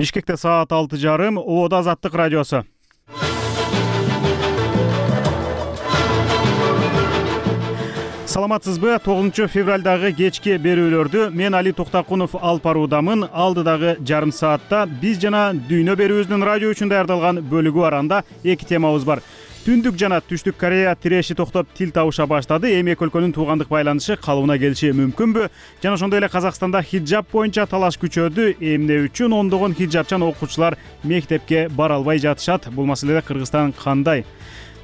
Бишкекте саат 6:30, Ободо Азаттык радиосу. Саламатсызбы? 9 февралдагы кечки берүүлөрдү мен Али Токтакунов алып баруудамын. Алдыдагы жарым саатта биз жана дүйнө берүүбүздүн радио үчүн даярдалган бөлүгү арасында эки темабыз бар. Түндүк жана Түштүк Корея тиреши токтоп тил табыша баштады. Эми эки өлкөнүн туугандык байланышы калыбына келиши мүмкүнбү? Жана ошондой эле Казакстанда хиджаб боюнча талаш күчөдү. Эмне үчүн ондогон хиджабчан окуучулар мектепке бара албай жатышат? Бул маселеде Кыргызстан кандай?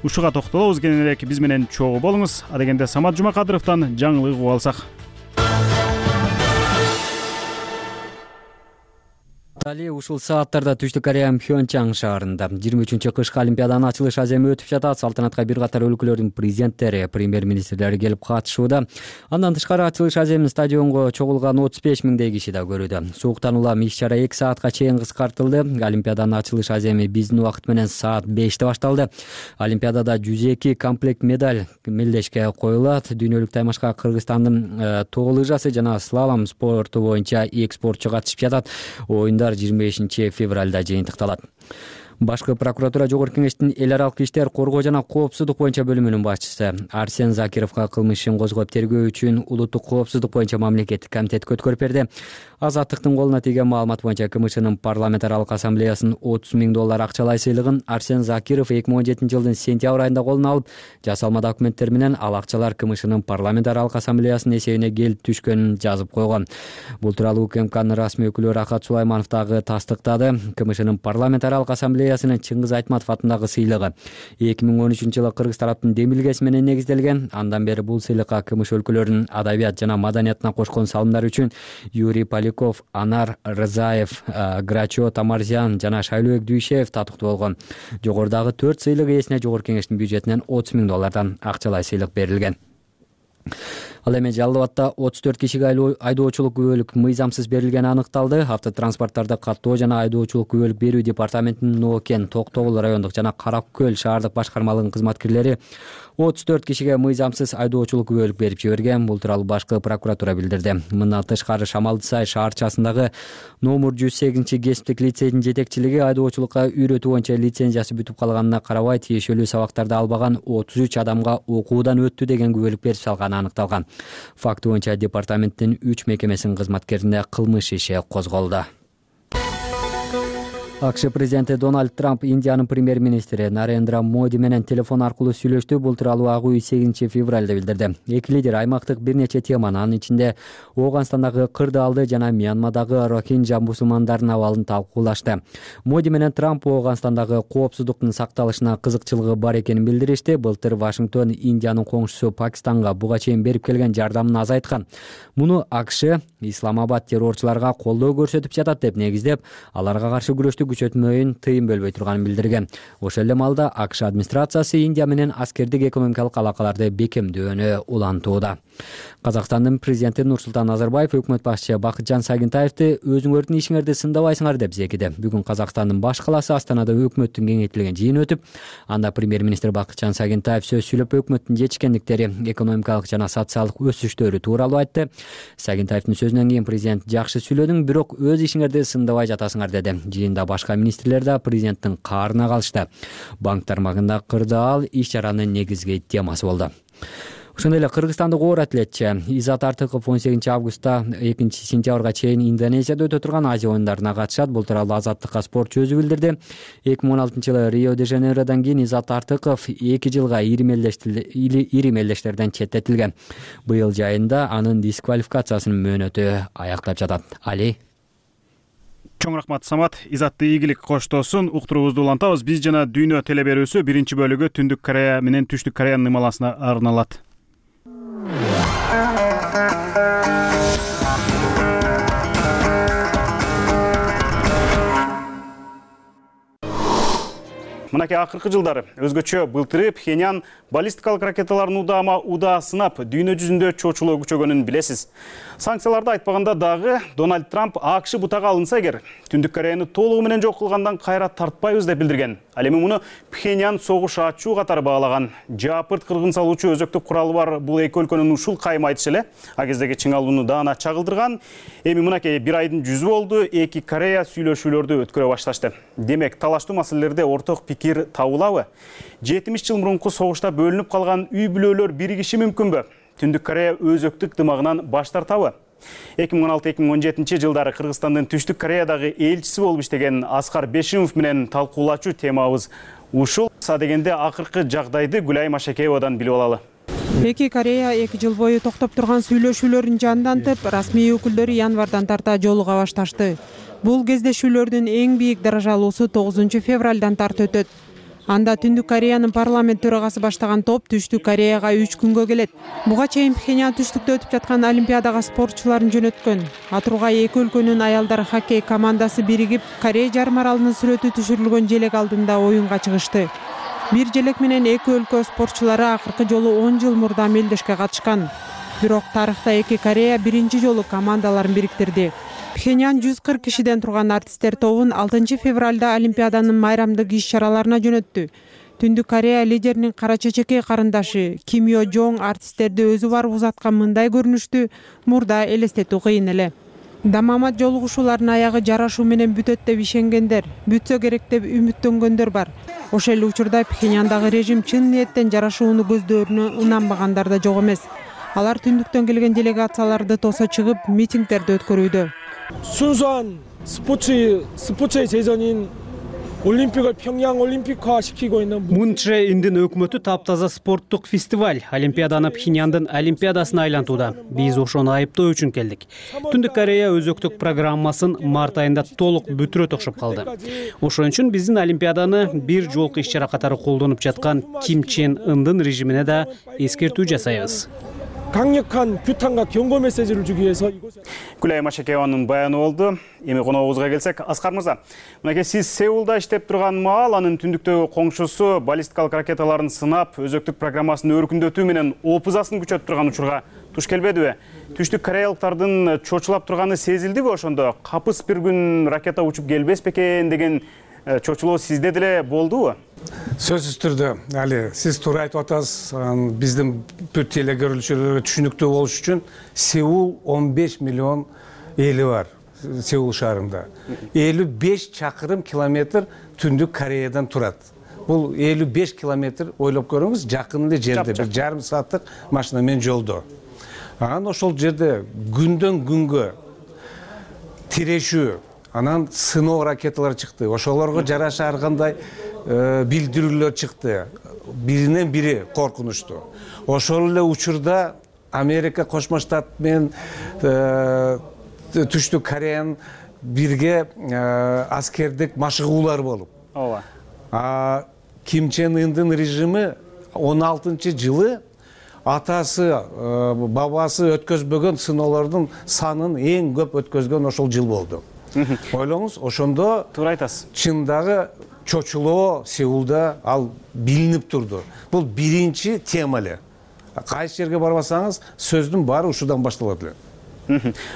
Ушуга токтолобуз. Кененирээк биз менен чогуу болуңуз. Адегенде Самат Жумакадыровдон жаңылык угуп алсак. Али ушул сааттарда Түштүк Корея Пхёнчан шаарында 23-чы кышкы олимпиаданын ачылыш аземи өтүп жатат. Салтанатка бир катар өлкөлөрдүн президенттери, премьер-министрлери келип катышууда. Андан тышкары ачылыш аземин стадионго чогулган 35 миңдей киши да көрүүдө. Сууктан улам иш-чара 2 саатка чейин кыскартылды. Олимпиаданын ачылыш аземи биздин убакыт менен саат 5-те башталды. Олимпиадада 102 комплект медаль мелдешке коюлат. Дүйнөлүк таймашка Кыргызстандын тоо лыжасы жана слалом спорту боюнча 2 спортчу катышып жатат. Оюндар 25 февралда жыйынтыкталат. Башкы прокуратура Жогорку кеңештин эл аралык иштер, коргоо жана коопсуздук боюнча бөлүмүнүн башчысы Арсен Закировго кылмыш ишин козгоп тергөө үчүн улуттук коопсуздук боюнча мамлекеттик комитетке өткөрүп берди. Азаттыктын колуна тийген маалымат боюнча КМШнын парламент аралык ассамблеясынын $30 000 акчалай сыйлыгын Арсен Закиров 2017 жылдын сентябрь айында колуна алып, жасалма документтер менен ал акчалар КМШнын парламент аралык ассамблеясынын эсебине келип түшкөнүн жазып койгон. Бул тууралуу УКМКнын расмий өкүлү Рахат Сулайманов дагы тастыктады. КМШнын парламент аралык ассамблеясынын Чыңгыз Айтматов атындагы сыйлыгы 2013 жылы кыргыз тараптын демилгеси менен негизделген. Андан бери бул сыйлыкка КМШ өлкөлөрүнүн адабият жана маданиятына кошкон салымдары үчүн Юрий Поляков, Анар Рызаев, Грачо Тамарзян жана Шайлообек Дүйшеев татыктуу болгон. Жогорудагы 4 сыйлык ээсине Жогорку кеңештин бюджетинен $30 000 акчалай сыйлык берилген. Ал эми Жалал Абадта 34 кишиге айдоочулук күбөлүк мыйзамсыз берилгени аныкталды. Автотранспорттарды каттоо жана айдоочулук күбөлүк берүү департаментинин Ноокен, Токтогул райондук жана Каракөл шаардык башкармалыгынын кызматкерлери 34 кишиге мыйзамсыз айдоочулук күбөлүк берип жиберген. Бул тууралуу башкы прокуратура билдирди. Мындан тышкары Шамалдысай шаарчасындагы номер 108 кесиптик лицейдин жетекчилиги айдоочулукка үйрөтүү боюнча лицензиясы бүтүп калганына карабай тиешелүү сабактарды албаган 33 адамга окуудан өттү деген күбөлүк берип салганы аныкталган. Факт боюнча департаменттин 3 мекемесинин кызматкерине кылмыш иши козголду. АКШ президенти Дональд Трамп Индиянын премьер-министри Нарендра Моди менен телефон аркылуу сүйлөштү. Бул тууралуу Ак үй 8 февралда билдирди. Эки лидер аймактык бир нече теманы, анын ичинде Ооганстандагы кырдаалды жана Мьянмадагы Рохинджа мусулмандарынын абалын талкуулашты. Моди менен Трамп Ооганстандагы коопсуздуктун сакталышына кызыкчылыгы бар экенин билдиришти. Былтыр Вашингтон Индиянын коңшусу Пакистанга буга чейин берип келген жардамын азайткан. Муну АКШ Исламабад террорчуларга колдоо көрсөтүп жатат деп негиздеп, аларга каршы күрөштү күчөтмөйүн тыйын бөлбөй турганын билдирген. Ошол эле маалда АКШ администрациясы Индия менен аскердик экономикалык алакаларды бекемдөөнү улантууда. Казакстандын президенти Нурсултан Назарбаев өкмөт башчысы Бакытжан Сагынтаевди өзүңөрдүн ишиңерди сындабайсыңар деп зекиди. Бүгүн Казакстандын баш калаасы Астанада өкмөттүн кеңейтилген жыйыны өтүп, анда премьер-министр Бакытжан Сагынтаев сөз сүйлөп өкмөттүн жетишкендиктери, экономикалык жана социалдык өсүштөрү тууралуу айтты. Сагынтаевдин сөзүнөн кийин президент жакшы сүйлөдүң, бирок өз ишиңерди сындабай жатасыңар деди. Жыйында башка министрлер да президенттин каарына калышты. Банк тармагында кырдаал иш-чаранын негизги темасы болду. Ошондой эле кыргызстандык оор атлетчи Изат Артыков 18 августта 2 сентябрга чейин Индонезияда өтө турган Азия оюндарына катышат. Бул тууралуу Азаттыкка спортчу өзү билдирди. 2016 жылы Рио-де-Жанейродон кийин Изат Артыков 2 жылга ири мелдештерден четтетилген. Быйыл жайында анын дисквалификациясынын мөөнөтү аяктап жатат. Али. Чоң рахмат Самат. Изатты ийгилик коштосун. Уктуруубузду улантабыз. Биз жана дүйнө телеберүүсү биринчи бөлүгү Түндүк Корея менен Түштүк Кореянын ымаласына арналат. Мынакей акыркы жылдары өзгөчө былтыры Пхеньян баллистикалык ракеталарын удаа сынап, дүйнө жүзүндө чочулоо күчөгөнүн билесиз. Санкцияларды айтпаганда дагы Дональд Трамп АКШ бутага алынса эгер, Түндүк Кореяны толугу менен жок кылгандан кайра тартпайбыз деп билдирген. Ал эми муну Пхеньян согуш ачуу катары баалаган. Жаапырт кыргын салуучу өзөктүк куралы бар бул эки өлкөнүн ушул кайымы айтышы эле а кездеги чыңалууну даана чагылдырган. Эми мынакей бир айдын жүзү болду, эки Корея сүйлөшүүлөрдү өткөрө башташты. Демек, талаштуу маселелерде орток пикир табылабы? 70 жыл мурунку согушта бөлүнүп калган үй бүлөлөр биригиши мүмкүнбү? Түндүк Корея өзөктүк дымагынан баш тартабы? 2016-2017 жылдары Кыргызстандын Түштүк Кореядагы элчиси болуп иштеген Аскар Бешимов менен талкуулачу темабыз ушул. Дегенде акыркы жагдайды Гүлай Машакеевадан билип алалы. Эки Корея 2 жыл бою токтоп турган сүйлөшүүлөрүн жандантып, расмий өкүлдөрү январдан тарта жолуга башташты. Бул кездешүүлөрдүн эң бийик даражалуусу 9 февралдан тарта өтөт. Анда Түндүк Кореянын парламент төрагасы баштаган топ Түштүк Кореяга 3 күнгө келет. Буга чейин Пхеньян түштүктө өтүп жаткан Олимпиадага спортчуларын жөнөткөн. Атургай эки өлкөнүн аялдар хоккей командасы биригип, Корея жарым аралынын сүрөтү түшүрүлгөн желек алдында оюнга чыгышты. Бир желек менен эки өлкө спортчулары акыркы жолу 10 жыл мурда мелдешке катышкан. Бирок тарыхта эки Корея биринчи жолу командаларын бириктирди. Пхеньян 140 кишиден турган артисттер тобун 6 февралда Олимпиаданын майрамдык иш-чараларына жөнөттү. Түндүк Корея лидеринин кара чечекей карындашы Ким Йо Жонг артисттерди өзү барып узаткан мындай көрүнүштү мурда элестетүү кыйын эле. Дамамат жолугушуулардын аягы жарашуу менен бүтөт деп ишенгендер, бүтсө керек деп үмүттөнгөндөр бар. Ошол эле учурда Пхеньяндагы режим чын ниеттен жарашууну көздөрүнө ынанбагандар да жок эмес. Алар түндүктөн келген делегацияларды тосо чыгып, митингдерди өткөрүүдө. 순수한 스포츠의 재전인 올림픽을 평양 올림픽화 시키고 있는 Мун Чже Индин өкмөтү таптаза спорттук фестиваль Олимпиаданы Пхеньяндын Олимпиадасына айлантууда. Биз ошону айыптоо үчүн келдик. Түндүк Корея өзөктүк программасын март айында толук бүтүрөт окшоп калды. Ошон үчүн биздин Олимпиаданы бир жолку иш-чара катары колдонуп жаткан Ким Чен Ындын режимине да эскертүү жасайбыз. 강력한 규탄과 경고 메시지를 주기 위해서 Гүлай Машакееванын баяны болду. Эми коногубузга келсек, Аскар мырза, мынакей сиз Сеулда иштеп турган маал анын түндүктөгү коңшусу баллистикалык ракеталарын сынап, өзөктүк программасын өркүндөтүү менен опузасын күчөтүп турган учурга туш келбедиби? Түштүк кореялыктардын чочулап турганы сезилдиби ошондо? Капыс бир күн ракета учуп келбес бекен деген чочулоо сизде деле болдубу? Сөзсүз түрдө, али сиз туура айтып атасыз. Биздин бүт телекөрүүчүлөргө түшүнүктүү болуш үчүн Сеул 15 миллион эли бар. Сеул шаарында 55 чакырым километр Түндүк Кореядан турат. Бул 55 километр ойлоп көрүңүз, жакын эле жерде, бир жарым сааттык машина менен жолдо. Анан ошол жерде күндөн күнгө тирешүү, анан сыноо ракеталар чыкты. Ошолорго жараша ар кандай билдирүүлөр чыкты. Биринен бири коркунучтуу. Ошол эле учурда Америка Кошмо Штат менен Түштүк Кореянын бирге аскердик машыгуулар болуп. Ооба. Ким Чен Ындын режими 16-жылы атасы, бабасы өткөзбөгөн сыноолордун санын эң көп өткөзгөн ошол жыл болду. Ойлоңуз, ошондо туура айтасыз. Чындагы чочулоо Сеулда ал билинип турду. Бул биринчи тема эле. Кайсы жерге барбасаңыз, сөздүн баары ушудан башталат эле.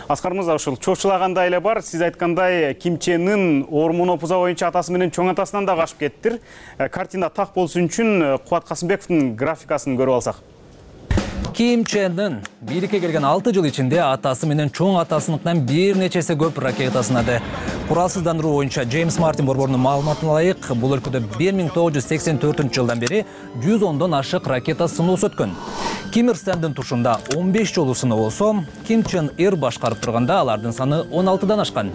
Аскар мырза, ушул чочулагандай эле бар. Сиз айткандай Ким Чен Ын ормун опуза боюнча атасы менен чоң атасынан да качып кеттир. Картина так болсун үчүн Кубат Касымбековдун графикасын көрүп алсак. Ким Чен Ын бийликке келген 6 жыл ичинде атасы менен чоң атасыныкынан бир нечеси көп ракета сынады. Куралсыздандыруу боюнча Джеймс Мартин борборунун маалыматына ылайык, бул өлкөдө 1984-жылдан бери 110дон ашык ракета сыноосу өткөн. Ким Ир Сэндин тушунда 15 жолу сыноо болсо, Ким Чен Ир башкарып турганда алардын саны 16дан ашкан.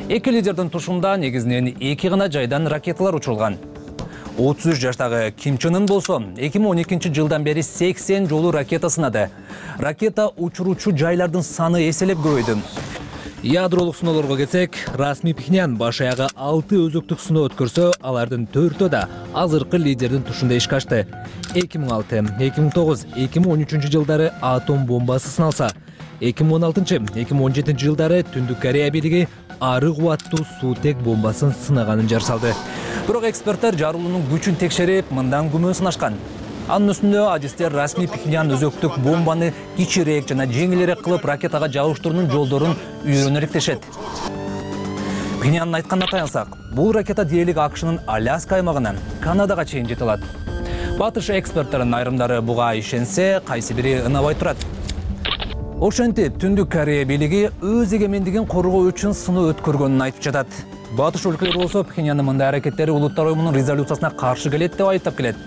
Эки лидердин тушунда негизинен 2 гана жайдан ракеталар учурулган. 33 жаштагы Ким Чен Ын болсо 2012 жылдан бери 80 жолу ракета сынады. Ракета учуруучу жайлардын саны эселеп көбөйдү. Ядролук сыноолорго келсек, расмий Пхеньян баш аягы 6 өзөктүк сыноо өткөрсө, алардын 4-өө да азыркы лидердин тушунда ишке ашты. 2006, 2009, 2013 жылдары атом бомбасы сыналса, 2016-2017 жылдары Түндүк Корея бийлиги ары кубаттуу суутек бомбасын сынаганын жар салды. Бирок эксперттер жарылуунун күчүн текшерип, мындан күмөн сынашкан. Анын үстүндө адистер расмий Пхеньян өзөктүк бомбаны кичирээк жана жеңилирээк кылып ракетага жабыштыруунун жолдорун үйрөнөрүк дешет. Пхеньяндын айтканына таянсак, бул ракета дээрлик АКШнын Аляска аймагынан Канадага чейин жете алат. Батыш эксперттеринин айрымдары буга ишенсе, кайсы бири ынабай турат. Ошентип, Түндүк Корея бийлиги өз эгемендигин коргоо үчүн сыноо өткөргөнүн айтып жатат. Батыш өлкөлөр болсо Пхеньяндын мындай аракеттери Улуттар уюмунун резолюциясына каршы келет деп айыптап келет.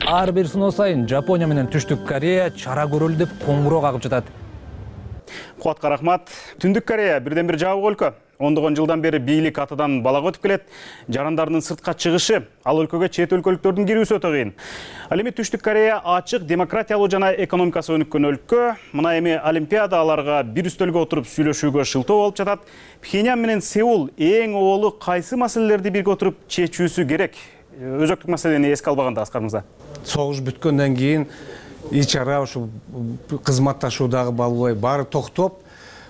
Ар бир сыноо сайын Жапония менен Түштүк Корея чара көрөлү деп коңгуроо кагып жатат. Кубатка рахмат. Түндүк Корея бирден бир жабык өлкө. Ондогон жылдан бери бийлик атадан балага өтүп келет. Жарандардын сыртка чыгышы, ал өлкөгө чет өлкөлүктөрдүн кирүүсү өтө кыйын. Ал эми Түштүк Корея ачык, демократиялуу жана экономикасы өнүккөн өлкө. Мына эми Олимпиада аларга бир үстөлгө отуруп сүйлөшүүгө шылтоо болуп жатат. Пхеньян менен Сеул эң оболу кайсы маселелерди бирге отуруп чечүүсү керек? Өзөктүк маселени эске албаганда Аскар мырза. Согуш бүткөндөн кийин ич ара ушул кызматташуудагы балбай баары токтоп,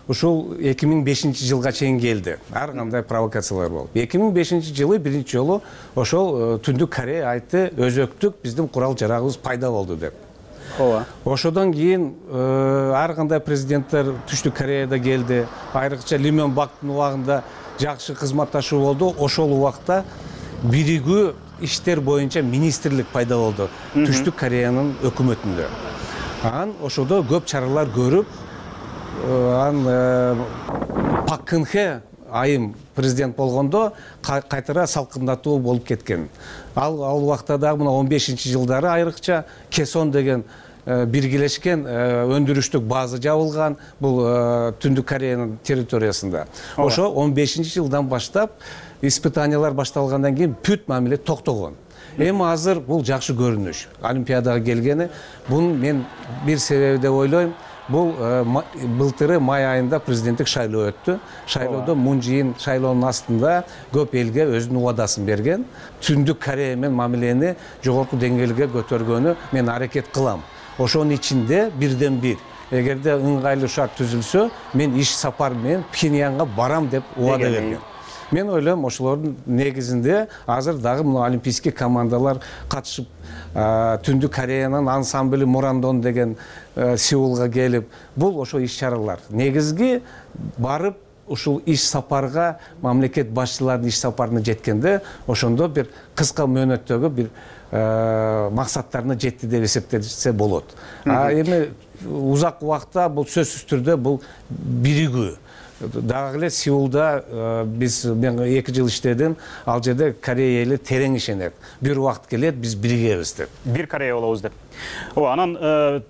ушул 2005 жылга чейин келди. Ар кандай провокациялар болуп. 2005 жылы биринчи жолу ошол Түндүк Корея айтты, өзөктүк биздин курал жарагыбыз пайда болду деп. Ооба. Ошодон кийин ар кандай президенттер Түштүк Кореяда келди. Айрыкча Ли Мен Бактын убагында жакшы кызматташуу болду. Ошол убакта биригүү иштер боюнча министрлик пайда болду Түштүк Кореянын өкмөтүндө. Анан ошодо көп чаралар көрүп, Пак Кын Хе айым президент болгондо кайтара салкындатуу болуп кеткен. Ал убакта дагы мына 15 жылдары айрыкча Кесон деген биргелешкен өндүрүштүк база жабылган бул Түндүк Кореянын территориясында. Ошо 15 жылдан баштап испытаниялар башталгандан кийин бүт мамиле токтогон. Эми азыр бул жакшы көрүнүш. Олимпиадага келгени, бун мен бир себеби деп ойлойм. Бул былтыры май айында президенттик шайлоо өттү. Шайлоодо Мун Чжэ шайлоонун астында көп элге өзүнүн убадасын берген. Түндүк Корея менен мамилени жогорку деңгээлге көтөргөнү мен аракет кылам. Ошонун ичинде бирден бир, эгерде ыңгайлуу шарт түзүлсө, мен иш сапар менен Пхеньянга барам деп убада берген. Мен ойлойм, ошолордун негизинде азыр дагы мына олимпийский командалар катышып, Түндүк Кореянын ансамбли Мурандон деген Сеулга келип, бул ошо иш-чаралар. Негизги барып ушул иш сапарга мамлекет башчыларынын иш сапарына жеткенде, ошондо бир кыска мөөнөттөгү бир максаттарына жетти деп эсептесе болот. Эми узак убакта бул сөзсүз түрдө бул биригүү. Дагы эле Сеулда мен 2 жыл иштедим, ал жерде Корея эли терең ишенет. Бир убакыт келет, биз биригебиз деп. Бир Корея болобуз деп. Ооба, анан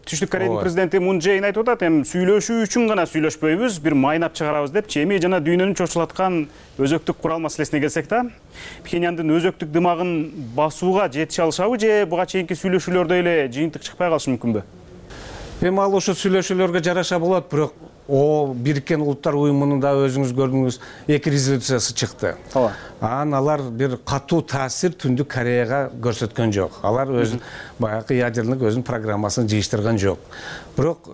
Түштүк Кореянын президенти Мун Чжэ айтып атат, эми сүйлөшүү үчүн гана сүйлөшпөйбүз, бир майнап чыгарабыз деп. Эми жана дүйнөнү чочулаткан өзөктүк курал маселесине келсек да, Пхеньяндын өзөктүк дымагын басууга жетише алышабы же буга чейинки сүйлөшүүлөрдө эле жыйынтык чыкпай калышы мүмкүнбү? Эми ал ошо сүйлөшүүлөргө жараша болот, бирок Бириккен Улуттар уюмунун да өзүңүз көрдүңүз 2 резолюциясы чыкты. Анан алар бир катуу таасир Түндүк Кореяга көрсөткөн жок. Алар өзүн баягы ядерник өзүнүн программасын жыйыштырган жок. Бирок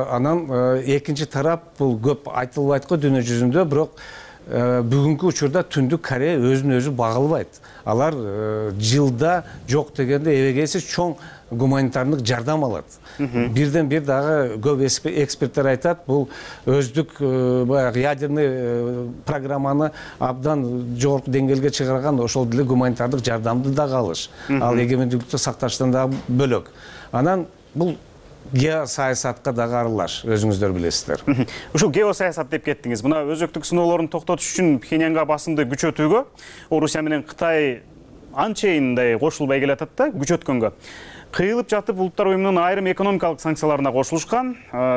анан экинчи тарап бул көп айтылбайт го дүйнө жүзүндө, бирок бүгүнкү учурда Түндүк Корея өзүн өзү бага албайт. Алар жылда жок дегенде эбегейсиз чоң гуманитардык жардам алат. Бирден бир дагы көп эксперттер айтат, бул өздүк баягы ядерный программаны абдан жогорку деңгээлге чыгарган ошол деле гуманитардык жардамды дагы алыш. Ал эгемендүүлүктү сакташтан дагы бөлөк. Анан бул геосаясатка дагы аралаш, өзүңүздөр билесиздер. Ушул геосаясат деп кеттиңиз. Мына өзөктүк сыноолорун токтотуш үчүн Пхеньянга басымды күчөтүүгө Орусия менен Кытай анчейин кошулбай келатат да, күчөткөнгө. Кыйылып жатып Улуттар уюмунун айрым экономикалык санкцияларына кошулушкан.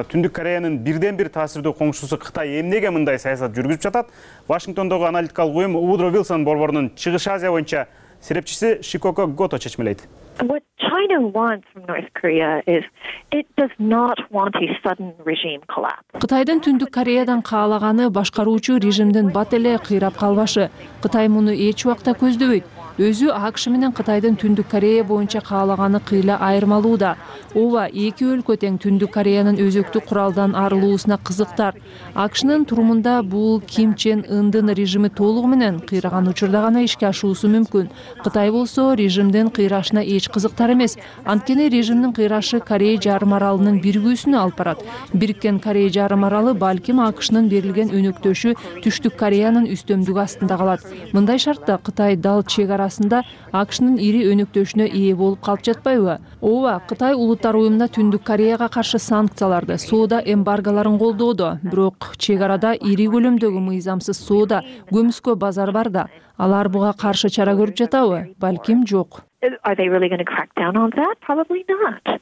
Түндүк Кореянын бирден бир таасирдүү коңшусу Кытай эмнеге мындай саясат жүргүзүп жатат? Вашингтондогу аналитикалык уюм Woodrow Wilson борборунун Чыгыш Азия боюнча серепчиси Шикоко Гото чечмелейт. What China wants from North Korea is it does not want a sudden regime collapse. Кытайдын Түндүк Кореядан каалаганы башкаруучу режимдин бат эле кыйрап калбашы. Кытай муну эч убакта көздөбөйт. өзү АКШ менен Кытайдын Түндүк Корея боюнча каалаганы кыйла айырмалууда. Ооба, эки өлкө тең Түндүк Кореянын өзөктүк куралдан арылуусуна кызыктар. АКШнын турумунда бул Ким Чен Ындын режими толугу менен кыйраган учурда гана ишке ашуусу мүмкүн. Кытай болсо режимдин кыйрашына эч кызыктар эмес. Анткени режимдин кыйрашы Корея жарым аралынын биригүүсүнө алып барат. Бириккен Корея жарым аралы балким АКШнын берилген өнөктөшү Түштүк Кореянын үстөмдүгү астында калат. Мындай шартта Кытай дал чек арасында АКШнын ири өнөктөшүнө ээ болуп калып жатпайбы? Ооба, Кытай Улуттар уюмунда Түндүк Кореяга каршы санкцияларды, соода эмбарголорун колдоодо. Бирок чек арада ири көлөмдөгү мыйзамсыз соода, көмүскө базар бар да. Алар буга каршы чара көрүп жатабы? Балким жок. Are they really going to crack down on that? Probably not.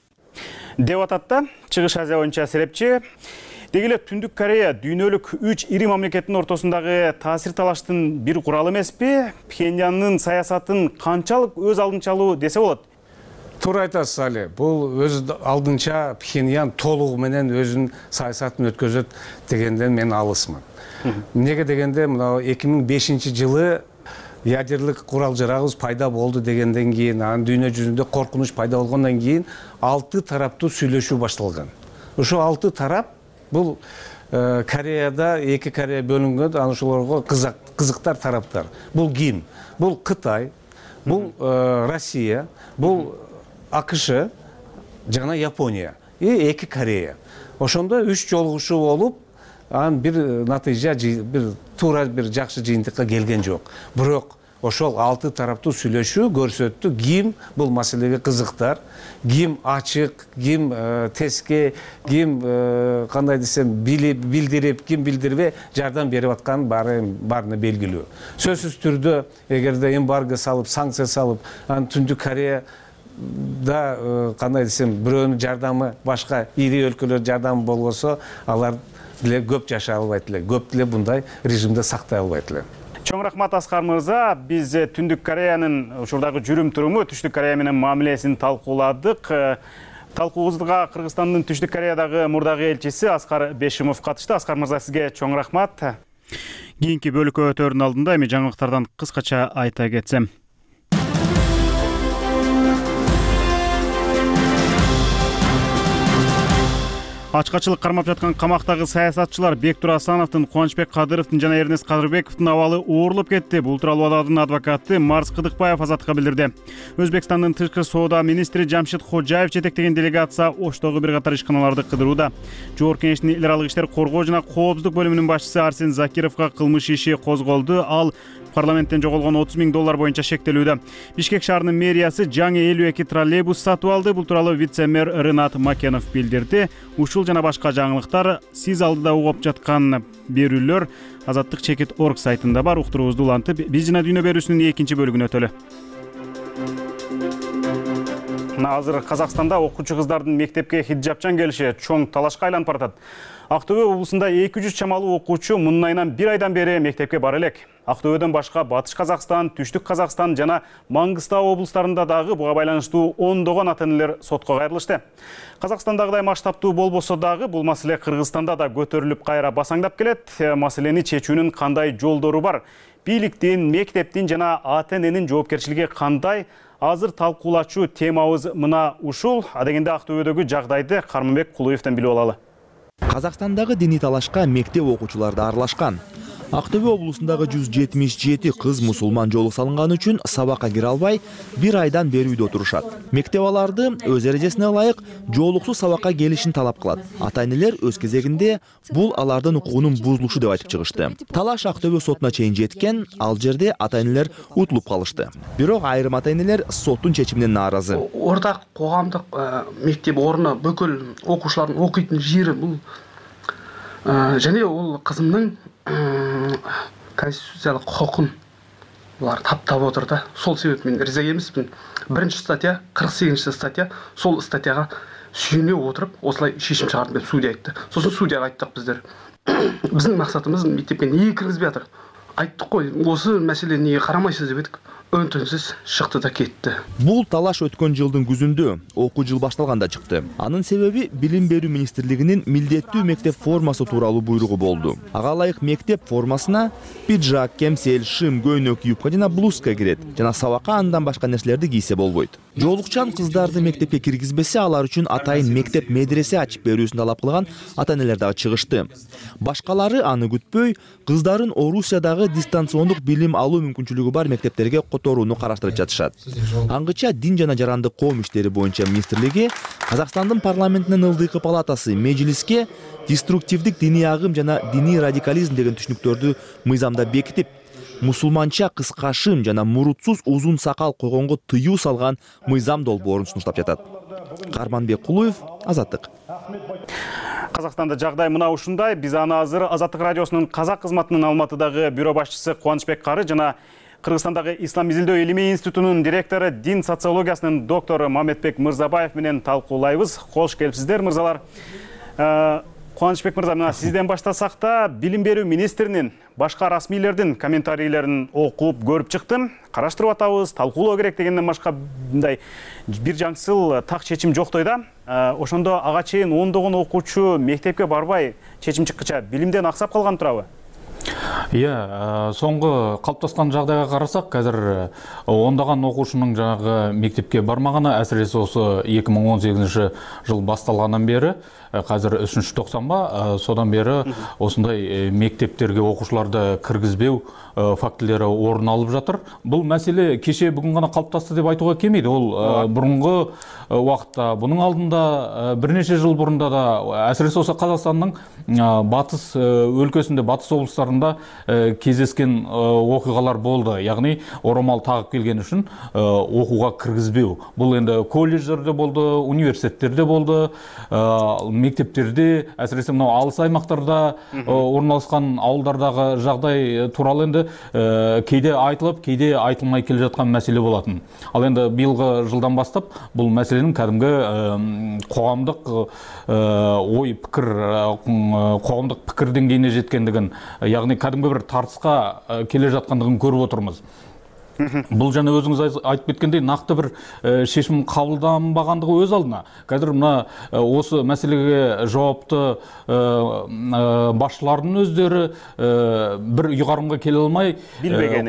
Деп атат да Чыгыш Азия боюнча серепчи. Деги эле Түндүк Корея дүйнөлүк 3 ири мамлекеттин ортосундагы таасир талаштын бир куралы эмеспи? Пхеньяндын саясатын канчалык өз алдынча алуу десе болот? Туура айтасыз Али. Бул өз алдынча Пхеньян толугу менен өзүнүн саясатын өткөзөт дегенден мен алысмын. Неге дегенде мына 2005-жылы ядерлик курал жарагыбыз пайда болду дегенден кийин, анын дүйнө жүзүндө коркунуч пайда болгондон кийин 6 тараптуу сүйлөшүү башталган. Ошо 6 тарап бул Кореяда эки Корея бөлүнгөн, анан ошолорго кызыктар тараптар. Бул ким? Бул Кытай, бул Россия, бул АКШ жана Япония и эки Корея. Ошондо 3 жолугушуу болуп, анан бир натыйжа, бир туура бир жакшы жыйынтыкка келген жок. Бирок ошол 6 тараптуу сүйлөшүү көрсөттү ким бул маселеге кызыктар, ким ачык, ким теске, ким кандай десем билдирип, ким билдирбей жардам берип аткан баарына белгилүү. Сөзсүз түрдө эгерде эмбарго салып, санкция салып, анан Түндүк Корея да кандай десем бирөөнүн жардамы башка ири өлкөлөр жардамы болбосо, алар деле көп жашай албайт эле, көп деле мындай режимде сактай албайт эле. Чоң рахмат Аскар мырза. Биз Түндүк Кореянын ушурдагы жүрүм туруму, Түштүк Корея менен мамилесин талкууладык. Талкуубузга Кыргызстандын Түштүк Кореядагы мурдагы элчиси Аскар Бешимов катышты. Аскар мырза, сизге чоң рахмат. Кийинки бөлүккө өтөөрдүн алдында эми жаңылыктардан кыскача айта кетсем. Ачкачылык кармап жаткан камактагы саясатчылар Бектур Асановдун, Кубанычбек Кадыровдун жана Эрнест Кадырбековдун абалы оорлоп кетти. Бул тууралуу алардын адвокаты Марс Кыдыкбаев Азаттыкка билдирди. Өзбекстандын тышкы соода министри Жамшид Ходжаев жетектеген делегация Оштогу бир катар ишканаларды кыдырууда. Жогорку Кеңештин эл аралык иштер коргоо жана коопсуздук бөлүмүнүн башчысы Арсен Закировго кылмыш иши козголду. Ал парламенттен жоголгон $30,000 боюнча шектелүүдө. Бишкек шаарынын мэриясы жаңы 52 троллейбус сатып алды. Бул тууралуу вице-мэр Рынат Макенов билдирди. Ушул жана башка жаңылыктар сиз алдыда угуп жаткан берүүлөр Азаттык.org сайтында бар. Уктуруубузду улантып, биз жана дүйнө берүүсүнүн экинчи бөлүгүнө өтөлү. Азыр Казакстанда окуучу кыздардын мектепке хиджабчан келиши чоң талашка айланып баратат. Актөбө облусунда 200 чамалуу окуучу мындан айынан 1 айдан бери мектепке бара элек. Актөбөдөн башка Батыш Казакстан, Түштүк Казакстан жана Маңгыстау облустарында дагы буга байланыштуу ондогон ата-энелер сотко кайрылышты. Казакстандагыдай масштабтуу болбосо дагы бул маселе Кыргызстанда да көтөрүлүп кайра басаңдап келет. Маселени чечүүнүн кандай жолдору бар? Бийликтин, мектептин жана ата-эненин жоопкерчилиги кандай? Азыр талкуулачу темабыз мына ушул. Адегенде Актөбөдөгү жагдайды Карманбек Кулуевден билип алалы. Казакстандагы диний талашка мектеп окуучулары да аралашкан. Актөбө облусундагы 177 кыз мусулман жолу салынган үчүн сабакка кире албай, 1 айдан бери үйдө отурушат. Мектеп аларды өз эрежесине ылайык жоолуксуз сабакка келишин талап кылат. Ата-энелер өз кезегинде бул алардын укугунун бузулушу деп айтып чыгышты. Талаш Актөбө сотуна чейин жеткен, ал жерде ата-энелер утулуп калышты. Бирок айрым ата-энелер соттун чечимине нааразы. Ортак коомдук мектеп орну бүкүл окуучулардын окуйтун жери бул және ол кызымдын конституциялык хокун булар таптап отур да. Сол себеп мен риза эмесмин. 1-статья, 48 статья, сол статьяга сүйүнө отуруп, осылай шешим чыгардым деп судья айтты. Сосын судьяга айттык биздер. Биздин максатыбыз мектепке эмне киргизбей атыр. Айттык кой, осы маселени неге карамайсыз деп едик. өн-түнсүз шыкты да кетти. Бул талаш өткөн жылдын күзүндө окуу жыл башталганда чыкты. Анын себеби Билим берүү министрлигинин милдеттүү мектеп формасы тууралуу буйругу болду. Ага ылайык мектеп формасына пиджак, кемсел, шым, көйнөк, юбка жана блузка кирет жана сабакка андан башка нерселерди кийсе болбойт. Жоолукчан кыздарды мектепке киргизбесе, алар үчүн атайын мектеп медресе ачып берүүсүн талап кылган ата-энелер дагы чыгышты. Башкалары аны күтпөй, кыздарын Орусиядагы дистанциондук билим алуу мүмкүнчүлүгү бар мектептерге которууну караштырып жатышат. Аңгыча Дин жана жарандык коом иштери боюнча министрлиги Казакстандын парламентинин ылдыйкы палатасы мejlisке деструктивдик диний агым жана диний радикализм деген түшүнүктөрдү мыйзамда бекитип, мусулманча кыска шым жана мурутсуз узун сакал койгонго тыюу салган мыйзам долбоорун сунуштап жатат. Карманбек Кулуев, Азаттык. Казакстанда жагдай мына ушундай. Биз аны азыр Азаттык радиосунун казак кызматынын Алматыдагы бюро башчысы Кубанычбек Кары жана Кыргызстандагы Ислам изилдөө илимий институтунун директору, дин социологиясынын доктору Мамедбек Мырзабаев менен талкуулайбыз. Кош келипсиздер, мырзалар. Кубанычбек мырза, мына сизден баштасак да, билим берүү министринин башка расмийлердин комментарийлерин окуп көрүп чыктым. Караштырып атабыз, талкуулоо керек дегенден башка мындай бир жаңсыл так чечим жоктой да. Ошондо ага чейин ондогон окуучу мектепке барбай чечим чыккыча билимден аксап калган турабы? Соңғы калыптаскан жагдайга карасак, азыр ондаган окуучунун жанагы мектепке бармаганы, әсіресе осы 2018 жыл басталгандан бери, қазір 3-90 содан бері осындай мектептерге окуучуларды киргизбеу фактілері орын алып жатыр. Бұл мәселе кеше бүгін ғана қалыптасты деп айтуға келмейді. Ол бұрынғы уақытта, бұның алдында бірнеше жыл бұрында да, әсіресе осы Қазақстанның батыс өлкөсүндө, батыс облыстарында кездескен окуялар болды. Яғни орамал тағып келген үшін окууга киргизбеу. Бұл енді колледждерде болды, университеттерде болды, мектептерде, әсіресе мынау алыс аймақтарда орналасқан ауылдардағы жағдай туралы енді кейде айтылып, кейде айтылмай келе жатқан мәселе болатын. Ал енді биылғы жылдан бастап бұл мәселенің кәдімгі қоғамдық ой пікір, қоғамдық пікір деңгейіне жеткендігін, яғни кәдімгі бір тартысқа келе жатқандығын көріп отырмыз. Бұл жана өзіңіз айтып кеткендей нақты бір шешім қабылданбағандығы өз алдына. Қазір мына осы мәселеге жауапты басшылардың өздері бір ұйғарымға келе алмай,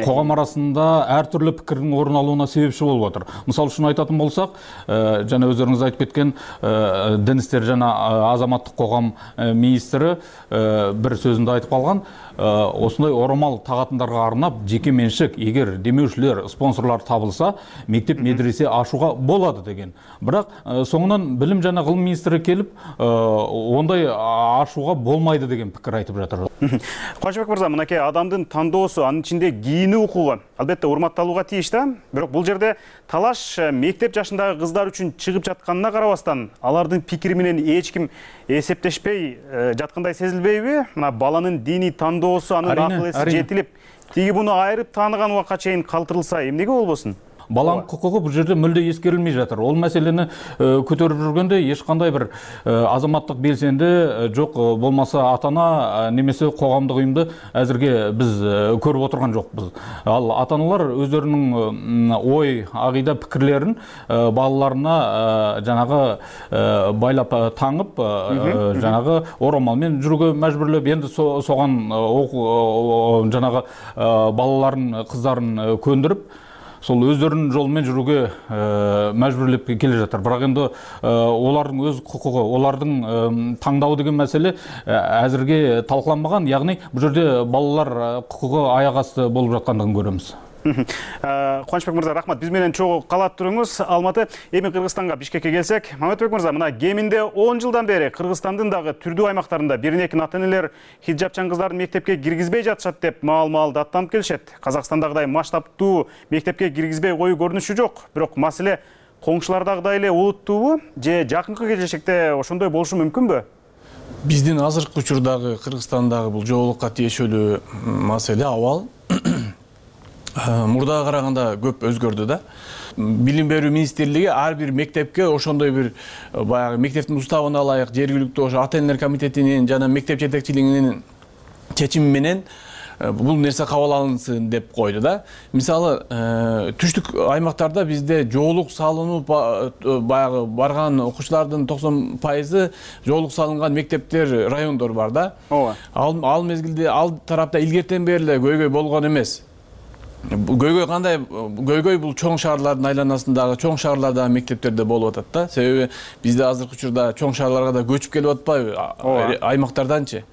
қоғам арасында әртүрлі пікірдің орын алуына себепші болып отыр. Мысалы үшін айтатын болсақ, жана өздеріңіз айтып кеткен дін істері жана азаматтық қоғам министрі бір сөзінде айтып қалған, осындай орамал тағатындарға арнап жеке меншік, егер демеушілер, спонсорлар табылса, мектеп медресе ашуға болады деген. Бірақ соңынан білім жана ғылым министрі келіп, ондай ашуға болмайды деген пікір айтып жатыр. Кубанычбек мырза, мынакей адамдын тандоосу, анын ичинде кийини укугу албетте урматталууга тийиш да. Бирок бул жерде талаш мектеп жашындагы кыздар үчүн чыгып жатканына карабастан, алардын пикири менен эч ким эсептешпей жаткандай сезилбейби? Мына баланын диний тандоосу, анын акыл эси жетилип, тиги буну айырып тааныган убакка чейин калтырылса, эмнеге болбосун? Баланың құқығы бұл жерде мүлде ескерілмей жатыр. Ол мәселені көтеріп жүргенде ешқандай бір азаматтық белсенді жоқ, болмаса атана немесе қоғамдық ұйымды әзірге біз көріп отырған жоқпыз. Ал атаналар өздерінің ой, ағида пікірлерін балаларына жаңағы байлап таңып, жаңағы орамалмен жүруге мәжбүрлеп, енді соған жаңағы балаларын, қыздарын көндіріп, сол өздерінің жолымен жүруге мәжбүрлеп келе жатыр. Бірақ енді олардың өз құқығы, олардың таңдауы деген мәселе әзірге талқыланбаған. Яғни бұл жерде балалар құқығы аяқ асты болып жатқандығын көреміз. Кубанычбек мырза, рахмат. Биз менен чогуу калат туруңуз. Алматы, эми Кыргызстанга, Бишкекке келсек, Мамедбек мырза, мына кеминде 10 жылдан бери Кыргызстандын дагы түрдүү аймактарында бир-эки ата-энелер хиджабчан кыздарды мектепке киргизбей жатышат деп маал-маалды аттанып келишет. Казакстандагыдай масштабтуу мектепке киргизбей коюу көрүнүшү жок. Бирок маселе коңшулардагыдай эле олуттуубу же жакынкы келечекте ошондой болушу мүмкүнбү? Биздин азыркы учурдагы Кыргызстандагы бул жоолукка тиешелүү маселе абал мурдага караганда көп өзгөрдү да. Билим берүү министрлиги ар бир мектепке ошондой бир баягы мектептин уставына ылайык жергиликтүү ошо ата-энелер комитетинин жана мектеп жетекчилигинин чечими менен бул нерсе кабыл алынсын деп койду да. Мисалы түштүк аймактарда бизде жоолук салынып баягы барган окуучулардын 90% жоолук салынган мектептер, райондор бар да. Ооба. Ал мезгилде ал тарапта илгертен бери эле көйгөй болгон эмес. Көйгөй кандай? Көйгөй бул чоң шаарлардын айланасындагы чоң шаарлардагы мектептерде болуп атат да. Себеби бизде азыркы учурда чоң шаарларга да көчүп келип атпайбы аймактарданчы.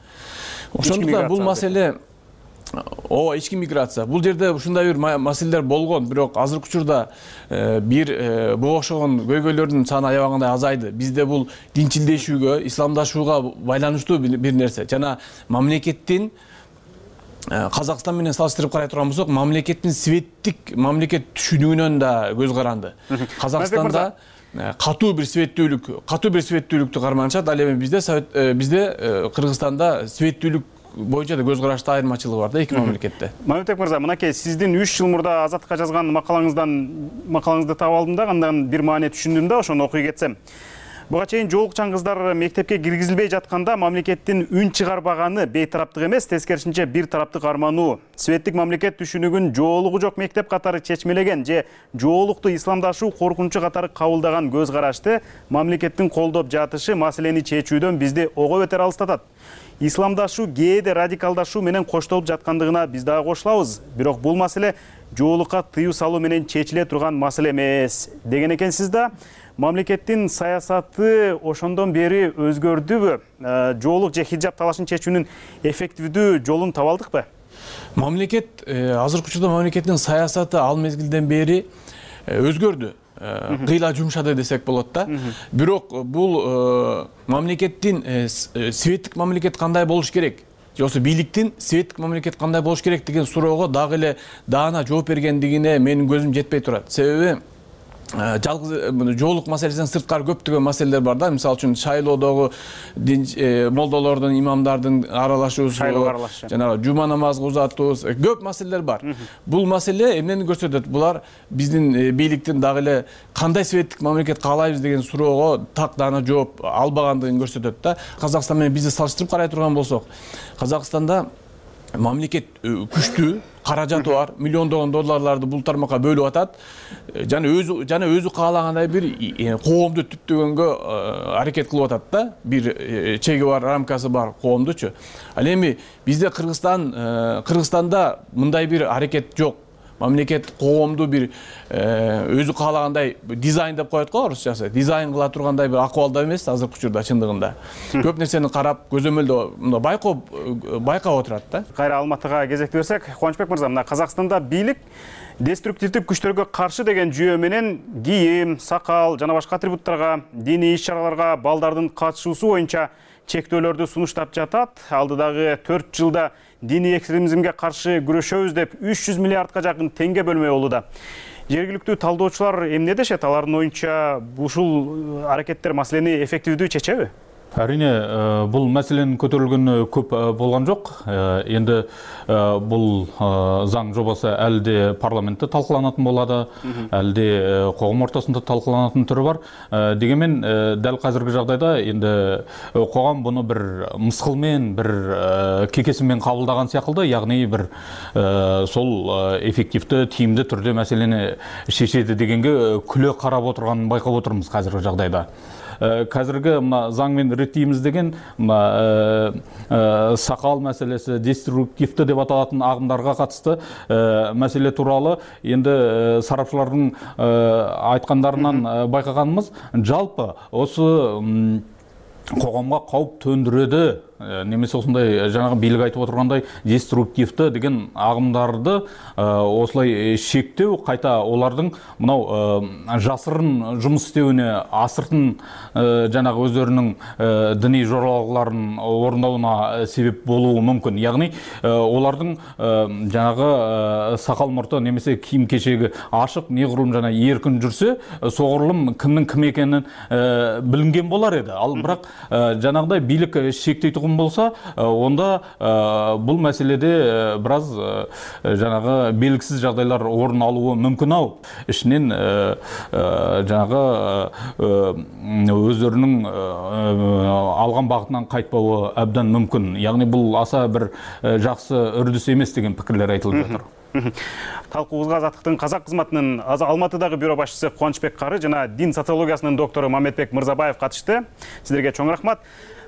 Ошондуктан бул маселе ички миграция. Бул жерде ушундай бир маселелер болгон, бирок азыркы учурда буга окшогон көйгөйлөрдүн саны аябагандай азайды. Бизде бул динчилдешүүгө, исламдашууга байланыштуу бир нерсе. Жана мамлекеттин Казакстан менен салыштырып карай турган болсок, мамлекеттин светтик мамлекет түшүнүүнөн да көз каранды. Казакстанда катуу бир светтүүлүктү карманышат. Ал эми бизде Кыргызстанда светтүүлүк боюнча да көз карашта айырмачылык бар да эки мамлекетте. Мамытбек мырза, мынакей сиздин 3 жыл мурда Азаттыкка жазган макалаңызды таап алдым да, андан бир маани түшүндүм да, ошону окуй кетсем. Буга чейин жоолукчан кыздар мектепке киргизилбей жатканда мамлекеттин үн чыгарбаганы бейтараптык эмес, тескерисинче бир тараптык армануу. Светтик мамлекет түшүнүгүн жоолугу жок мектеп катары чечмелеген же жоолукту исламдашуу коркунучу катары кабылдаган көз карашты мамлекеттин колдоп жатышы маселени чечүүдөн бизди ого бетер алыстатат. Исламдашуу кээде радикалдашуу менен коштолуп жаткандыгына биз дагы кошулабыз. Бирок бул маселе жоолукка тыюу салуу менен чечиле турган маселе эмес деген экенсиз да. Мамлекеттин саясаты ошондон бери өзгөрдүбү? Жоолук же хиджаб талашын чечүүнүн эффективдүү жолун таба алдыкпы? Мамлекет азыркы учурда мамлекеттин саясаты ал мезгилден бери өзгөрдү. Кыйла жумшады десек болот да. Бирок бул мамлекеттин светтик мамлекет кандай болуш керек? Жоксо бийликтин светтик мамлекет кандай болуш керек деген суроого дагы эле даана жооп бергендигине менин көзүм жетпей турат. Себеби жалгыз жоолук маселесинен сырткары көптөгөн маселелер бар да. Мисалы үчүн шайлоодогу молдолордун, имамдардын аралашуусу, жанагы жума намазга узатуу, көп маселелер бар. Бул маселе эмнени көрсөтөт? Булар биздин бийликтин дагы эле кандай светтик мамлекет каалайбыз деген суроого так даана жооп албагандыгын көрсөтөт да. Казакстан менен бизди салыштырып карай турган болсок, Казакстанда мамлекет күчтүү, каражаты бар, миллиондогон долларларды бул тармакка бөлүп атат. Жана өзү каалагандай бир коомду түптөгөнгө аракет кылып атат да. Бир чеги бар, рамкасы бар коомдучу. Ал эми бизде Кыргызстанда мындай бир аракет жок. Мамлекет коомду бир өзү каалагандай дизайн деп коет го орусчасы. Дизайн кыла тургандай бир акыбалда эмес азыркы учурда чындыгында. Көп нерсени карап, көзөмөлдөө байкап отурат да. Кайра Алматыга кезекти берсек, Кубанычбек мырза, мына Казакстанда бийлик деструктивдик күчтөргө каршы деген жүйө менен кийим, сакал жана башка атрибуттарга, диний иш-чараларга балдардын катышуусу боюнча чектөөлөрдү сунуштап жатат. Алдыдагы 4 жылда диний экстремизмге каршы күрөшөбүз деп 300 миллиардка жакын теңге бөлмөй болууда. Жергиликтүү талдоочулар эмне дешет? Алардын оюнча ушул аракеттер маселени эффективдүү чечеби? Әрине, бұл мәселенің көтерілгені көп болған жоқ. Енді бұл заң жобасы әлде парламентте талқыланатын болады, әлде қоғам ортасында талқыланатын түрі бар. Дегенмен, дәл қазіргі жағдайда енді қоғам бұны бір мысқылмен, бір кекесімен қабылдаған сияқты, яғни бір сол эффективті, тиімді түрде мәселені шешеді дегенге күле қарап отырғанын байқап отырмыз қазіргі жағдайда. Қазіргі заңмен реттейміз деген сақал мәселесі, деструктивті деп аталатын ағымдарға қатысты мәселе туралы енді сарапшылардың айтқандарынан байқағанымыз, жалпы осы қоғамға қауіп төндіреді, немесе осындай жаңағы билік айтып отырғандай деструктивті деген ағымдарды осылай шектеу, қайта олардың мынау жасырын жұмыс істеуіне, асыртын жаңағы өздерінің діни жоралғыларын орындауына себеп болуы мүмкін. Яғни олардың жаңағы сақал мұрты немесе киім кешегі ашық, неғұрлым жаңа еркін жүрсе, соғұрлым кімнің кім екенін білінген болар еді. Ал бірақ жаңағыдай билік шектейтұғын болгон болсо, онда бул маселеде бир аз жанагы белгисиз жагдайлар орун алуу мүмкүн ау. Ишинен жанагы өздөрүнүн алган багытынан кайтпоо абдан мүмкүн. Яғни бул аса бир жакшы үрдүс эмес деген пикирлер айтылып жатыр. Талкуубузга Азаттыктын казак кызматынын Алматыдагы бюро башчысы Кубанычбек Кары жана дин социологиясынын доктору Мамедбек Мырзабаев катышты. Сиздерге чоң рахмат.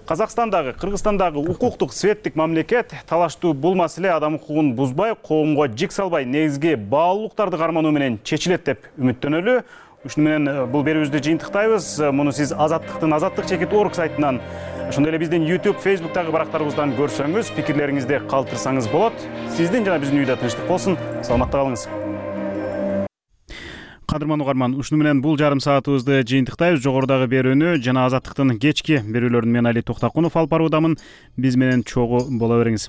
Казакстандагы, Кыргызстандагы укуктук светтик мамлекет талаштуу бул маселе адам укугун бузбай, коомго жик салбай, негизги баалуулуктарды кармануу менен чечилет деп үмүттөнөлү. Ушуну менен бул берүүбүздү жыйынтыктайбыз. Муну сиз Азаттыктын azattik.org сайтынан, ошондой эле биздин YouTube, Facebook'тагы барактарыбыздан көрсөңүз, пикирлериңизди калтырсаңыз болот. Сиздин жана биздин үйдө тынчтык болсун. Саламатта калыңыз. Кадырман угарман, ушуну менен бул жарым саатыбызды жыйынтыктайбыз. Жогорудагы берүүнү жана Азаттыктын кечки берүүлөрүн мен Али Токтакунов алып баруудамын. Биз менен чогуу боло бериңиз.